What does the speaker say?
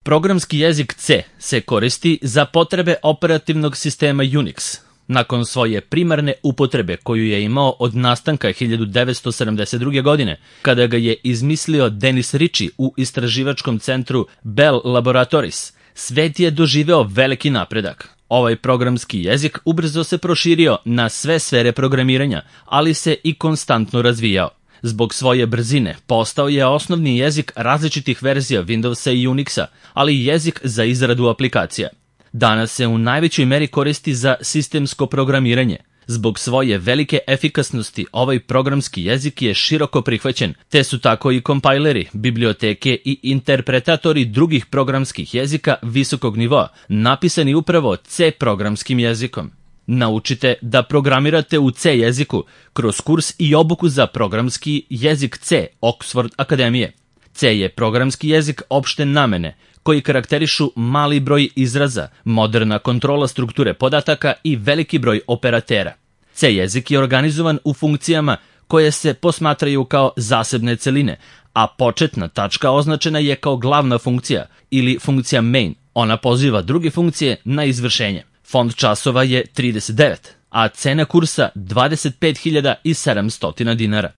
Programski jezik C se koristi za potrebe operativnog sistema Unix, nakon svoje primarne upotrebe koju je imao od nastanka 1972. godine, kada ga je izmislio Dennis Ritchie u istraživačkom centru Bell Laboratories. Svet je doživeo veliki napredak. Ovaj programski jezik ubrzo se proširio na sve sfere programiranja, ali se i konstantno razvijao. Zbog svoje brzine postao je osnovni jezik različitih verzija Windowsa i Unixa, ali i jezik za izradu aplikacija. Danas se u najvećoj meri koristi za sistemsko programiranje. Zbog svoje velike efikasnosti ovaj programski jezik je široko prihvaćen, te su tako i kompajleri, biblioteke i interpretatori drugih programskih jezika visokog nivoa, napisani upravo C programskim jezikom. Naučite da programirate u C jeziku kroz kurs i obuku za programski jezik C Oxford Akademije. C je programski jezik opšte namene, koji karakterišu mali broj izraza, moderna kontrola strukture podataka i veliki broj operatera. C jezik je organizovan u funkcijama koje se posmatraju kao zasebne celine, a početna tačka označena je kao glavna funkcija ili funkcija main. Ona poziva druge funkcije na izvršenje. Fond časova je 39, a cena kursa 25.700 dinara.